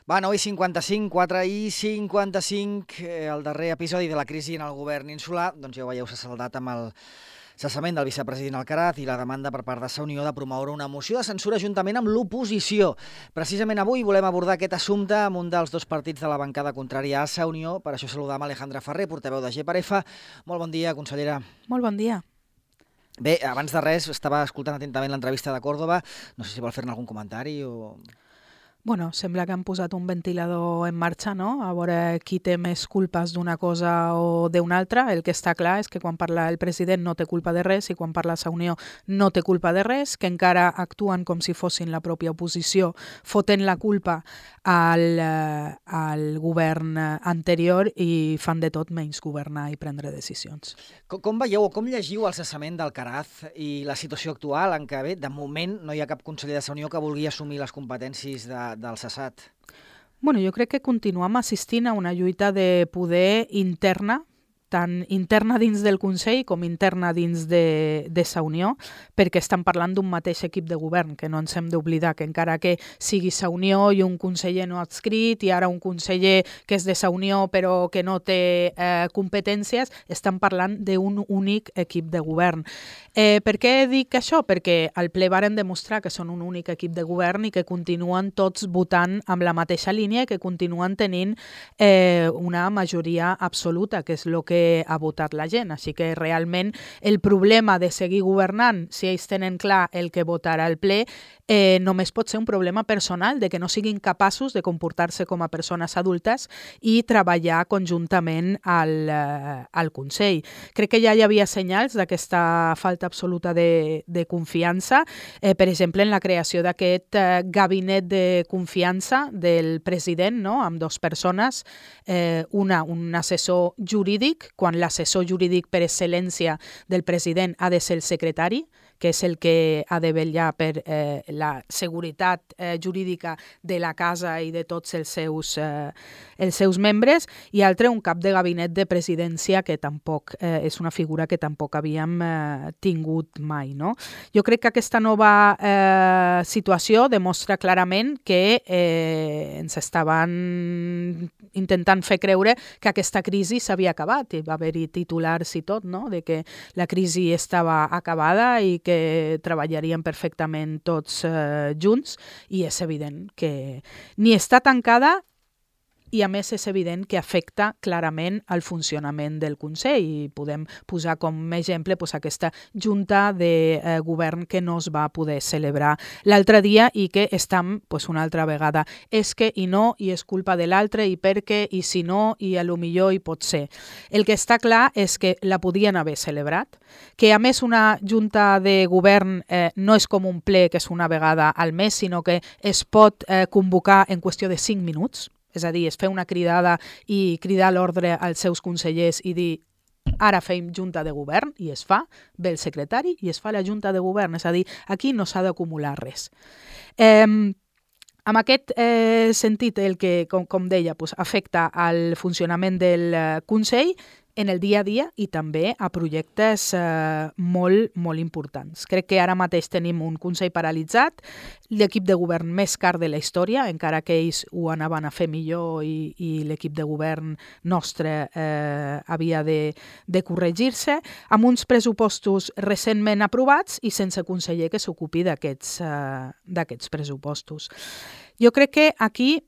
Va, 9:55, 4:55, el darrer episodi de la crisi en el govern insular, doncs ja ho veieu, s'ha saldat amb el cessament del vicepresident Alcaraz i la demanda per part de Sa Unió de promoure una moció de censura juntament amb l'oposició. Precisament avui volem abordar aquest assumpte amb un dels dos partits de la bancada contrària a Sa Unió. Per això saludam Alejandra Ferrer, portaveu de GPAREFA. Molt bon dia, consellera. Molt bon dia. Bé, abans de res, estava escoltant atentament l'entrevista de Córdoba. No sé si vol fer-ne algun comentari o... Bueno, sembla que han posat un ventilador en marxa, no? A veure qui té més culpes d'una cosa o d'una altra. El que està clar és que quan parla el president no té culpa de res i quan parla Sa Unió no té culpa de res, que encara actuen com si fossin la pròpia oposició, fotent la culpa al govern anterior i fan de tot menys governar i prendre decisions. Com veieu o com llegiu el cessament d'Alcaraz i la situació actual en què, bé, de moment no hi ha cap conseller de Sa Unió que vulgui assumir les competències del cessat? Bueno, jo crec que continuem assistint a una lluita de poder interna, tant interna dins del Consell com interna dins de Sa Unió, perquè estan parlant d'un mateix equip de govern, que no ens hem d'oblidar que encara que sigui Sa Unió i un conseller no adscrit i ara un conseller que és de Sa Unió però que no té competències, estan parlant d'un únic equip de govern. Per què dic això? Perquè al ple varen demostrar que són un únic equip de govern i que continuen tots votant amb la mateixa línia i que continuen tenint una majoria absoluta, que és el que ha votat la gent. Així que realment el problema de seguir governant, si ells tenen clar el que votarà el ple, només pot ser un problema personal, de que no siguin capaços de comportar-se com a persones adultes i treballar conjuntament al Consell. Crec que ja hi havia senyals d'aquesta falta absoluta de confiança, per exemple, en la creació d'aquest gabinet de confiança del president, no? Amb dues persones, un assessor jurídic, quan l'assessor jurídic per excel·lència del president ha de ser el secretari, que és el que ha de vetllar per la seguretat jurídica de la casa i de tots els seus membres, i altre un cap de gabinet de presidència que tampoc és una figura que tampoc havíem tingut mai, no? Jo crec que aquesta nova situació demostra clarament que ens estaven intentant fer creure que aquesta crisi s'havia acabat, i va haver-hi titulars i tot, no? De que la crisi estava acabada i que treballarien perfectament tots junts, i és evident que ni està tancada i a més és evident que afecta clarament el funcionament del Consell, i podem posar com a exemple aquesta junta de govern que no es va poder celebrar l'altre dia i que estem una altra vegada és que i no, i és culpa de l'altre, i perquè, i si no, i a lo millor hi pot ser. El que està clar és que la podien haver celebrat, que a més una junta de govern no és com un ple que és una vegada al mes, sinó que es pot convocar en qüestió de 5 minuts, és a dir, es fer una cridada i cridar l'ordre als seus consellers i dir ara fem junta de govern, i es fa, ve el secretari i es fa la junta de govern, és a dir, aquí no s'ha d'acumular res. En aquest sentit, el que, com deia, afecta al funcionament del Consell en el dia a dia i també a projectes molt, molt importants. Crec que ara mateix tenim un Consell paralitzat, l'equip de govern més car de la història, encara que ells ho anaven a fer millor i l'equip de govern nostre havia de corregir-se, amb uns pressupostos recentment aprovats i sense conseller que s'ocupi d'aquests pressupostos. Jo crec que aquí,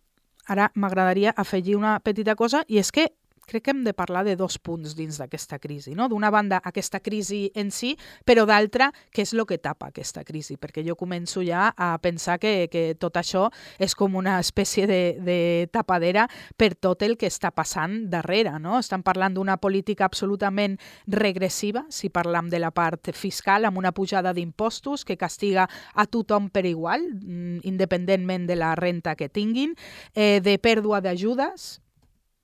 ara m'agradaria afegir una petita cosa, i és que crec que hem de parlar de dos punts dins d'aquesta crisi, no? D'una banda, aquesta crisi en si, però d'altra, què és el que tapa aquesta crisi? Perquè jo començo ja a pensar que tot això és com una espècie de tapadera per tot el que està passant darrere, no? Estan parlant d'una política absolutament regressiva, si parlam de la part fiscal, amb una pujada d'impostos que castiga a tothom per igual, independentment de la renta que tinguin, de pèrdua d'ajudes,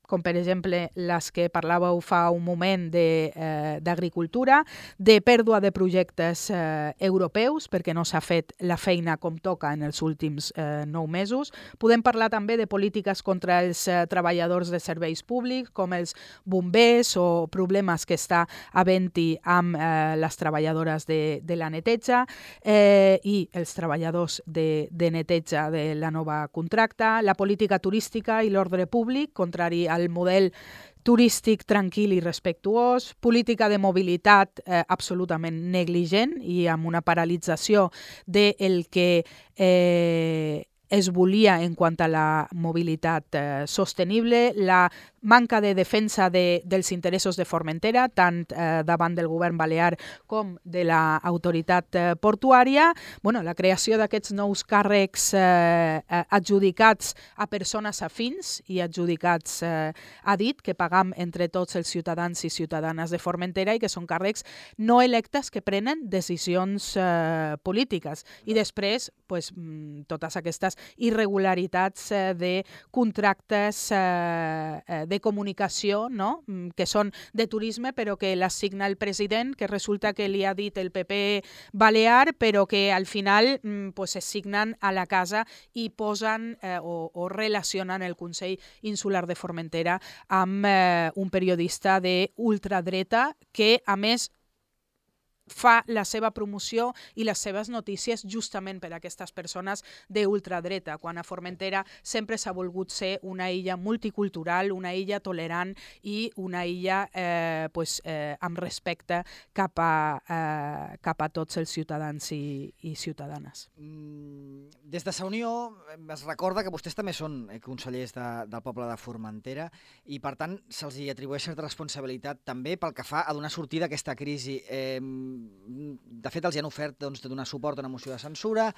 com per exemple les que parlàveu fa un moment d'agricultura, de pèrdua de projectes europeus, perquè no s'ha fet la feina com toca en els últims 9 mesos. Podem parlar també de polítiques contra els treballadors de serveis públics, com els bombers o problemes que està havent-hi amb les treballadores de la neteja i els treballadors de neteja de la nova contracta, la política turística i l'ordre públic, contrari al model turístic tranquil i respectuós, política de mobilitat absolutament negligent i amb una paralització del que es volia en quant a la mobilitat sostenible, la manca de defensa dels interessos de Formentera, tant davant del govern balear com de l'autoritat portuària, la creació d'aquests nous càrrecs adjudicats a persones afins i adjudicats a dit, que pagam entre tots els ciutadans i ciutadanes de Formentera i que són càrrecs no electes que prenen decisions polítiques. I després, totes aquestes irregularitats de contractes de comunicació, no? Que són de turisme però que les signa el president, que resulta que li ha dit el PP balear però que al final es signen a la casa i posen o relacionen el Consell Insular de Formentera amb un periodista d'ultradreta que a més fa la seva promoció i les seves notícies justament per a aquestes persones d'ultradreta, quan a Formentera sempre s'ha volgut ser una illa multicultural, una illa tolerant i una illa amb respecte cap a tots els ciutadans i ciutadanes. Des de Sa Unió es recorda que vostès també són consellers del poble de Formentera i per tant se'ls atribueix certa responsabilitat també pel que fa a donar sortida a aquesta crisi. De fet, els han ofert de donar suport a una moció de censura.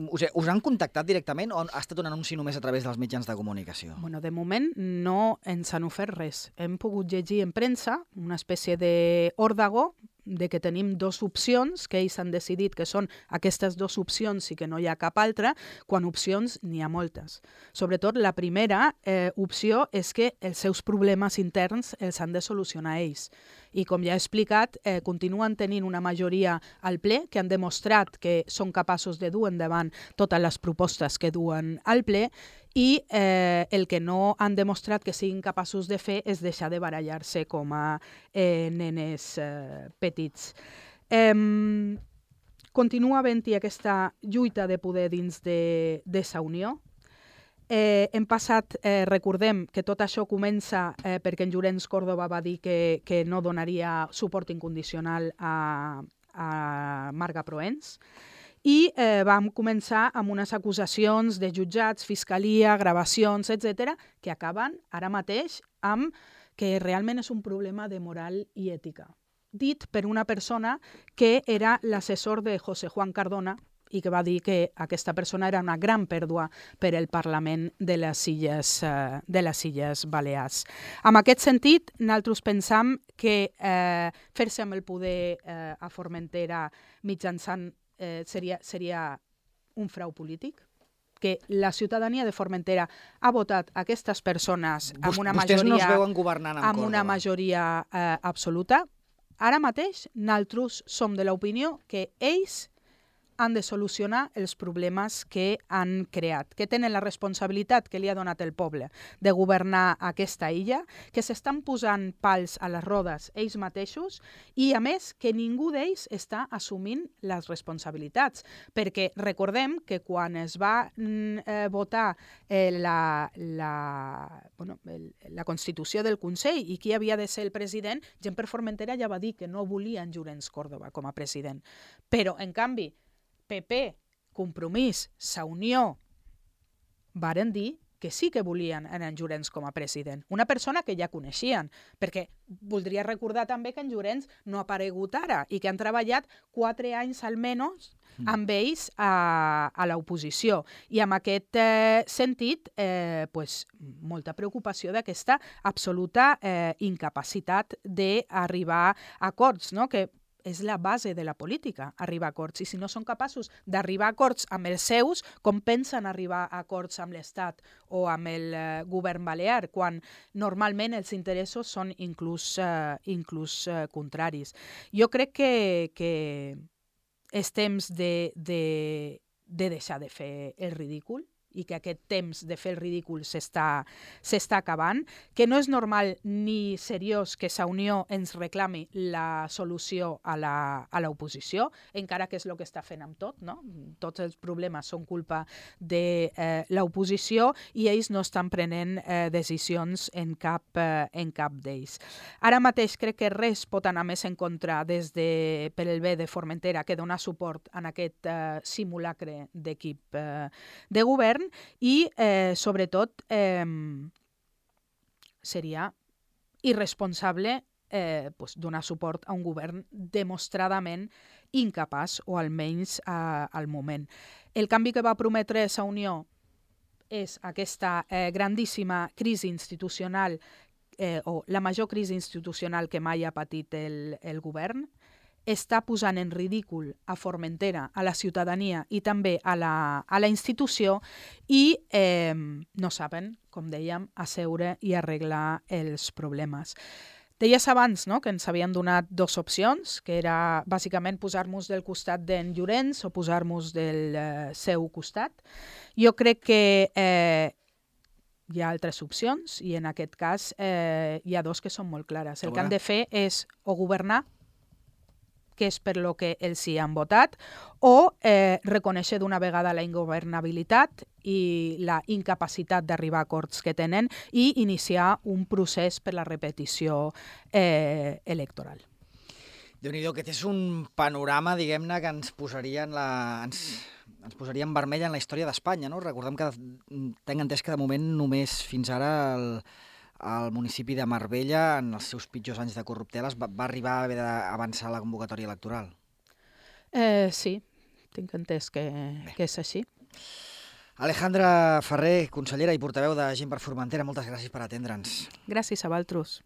Us han contactat directament o ha estat un anunci només a través dels mitjans de comunicació? De moment no ens han ofert res. Hem pogut llegir en premsa una espècie d'òrdago de que tenim 2 opcions, que ells han decidit que són aquestes 2 opcions i que no hi ha cap altra, quan opcions n'hi ha moltes. Sobretot la primera opció és que els seus problemes interns els han de solucionar ells. I com ja he explicat, continuen tenint una majoria al ple que han demostrat que són capaços de dur endavant totes les propostes que duen al ple i el que no han demostrat que siguin capaços de fer és deixar de barallar-se com a nenes petits. Continua havent-hi aquesta lluita de poder dins de Sa Unió. Hem passat, recordem que tot això comença perquè en Llorenç Córdoba va dir que no donaria suport incondicional a Marga Proens i vam començar amb unes acusacions de jutjats, fiscalia, gravacions, etc., que acaben ara mateix amb que realment és un problema de moral i ètica. Dit per una persona que era l'assessor de José Juan Cardona i que va dir que aquesta persona era una gran pèrdua per al Parlament de les Illes Balears. En aquest sentit, nosaltres pensam que fer-se amb el poder a Formentera mitjançant seria un frau polític, que la ciutadania de Formentera ha votat aquestes persones amb una majoria, vostès no es veuen governant amb una majoria absoluta. Ara mateix, nosaltres som de l'opinió que ells han de solucionar els problemes que han creat, que tenen la responsabilitat que li ha donat el poble de governar aquesta illa, que s'estan posant pals a les rodes ells mateixos i, a més, que ningú d'ells està assumint les responsabilitats. Perquè recordem que quan es va votar la Constitució del Consell i qui havia de ser el president, gent per Formentera ja va dir que no volia en Llorenç Córdoba com a president. Però, en canvi, PP, Compromís, Sa Unió, varen dir que sí que volien en Llorenç com a president. Una persona que ja coneixien, perquè voldria recordar també que en Llorenç no ha aparegut ara i que han treballat 4 anys almenys amb ells a l'oposició. I en aquest sentit, molta preocupació d'aquesta absoluta incapacitat d'arribar a acords, no? Que és la base de la política, arribar a acords. I si no són capaços d'arribar a acords amb els seus, com pensen arribar a acords amb l'Estat o amb el govern balear, quan normalment els interessos són inclús contraris. Jo crec que és temps de deixar de fer el ridícul, i que aquest temps de fer el ridícul s'està acabant, que no és normal ni seriós que Sa Unió ens reclami la solució a l'oposició, encara que és el que està fent amb tot, no? Tots els problemes són culpa de l'oposició i ells no estan prenent decisions en cap d'ells. Ara mateix crec que res pot anar més en contra per el bé de Formentera que donar suport en aquest simulacre d'equip de govern, i sobretot seria irresponsable donar suport a un govern demostradament incapaç, o almenys al moment. El canvi que va prometre Sa Unió és aquesta grandíssima crisi institucional, o la major crisi institucional que mai ha patit el govern, està posant en ridícul a Formentera, a la ciutadania i també a la institució, i no saben, com dèiem, asseure i arreglar els problemes. Deies abans, no?, que ens havien donat dues opcions, que era bàsicament posar-nos del costat d'en Llorenç o posar-nos del seu costat. Jo crec que hi ha altres opcions, i en aquest cas hi ha dos que són molt clares. El que han de fer és o governar, que és per lo que els hi han votat, o reconèixer d'una vegada la ingovernabilitat i la incapacitat d'arribar a acords que tenen i iniciar un procés per la repetició electoral. Déu-n'hi-do, aquest és un panorama, diguem-ne, que ens posaria ens posaria en vermell en la història d'Espanya, no? Recordem que tenc entès que de moment només fins ara el municipi de Marbella, en els seus pitjors anys de corrupteles, va arribar a haver d'avançar la convocatòria electoral. Sí, tinc entès que és així. Alejandra Ferrer, consellera i portaveu de Gent per Formentera, moltes gràcies per atendre'ns. Gràcies a vosaltres.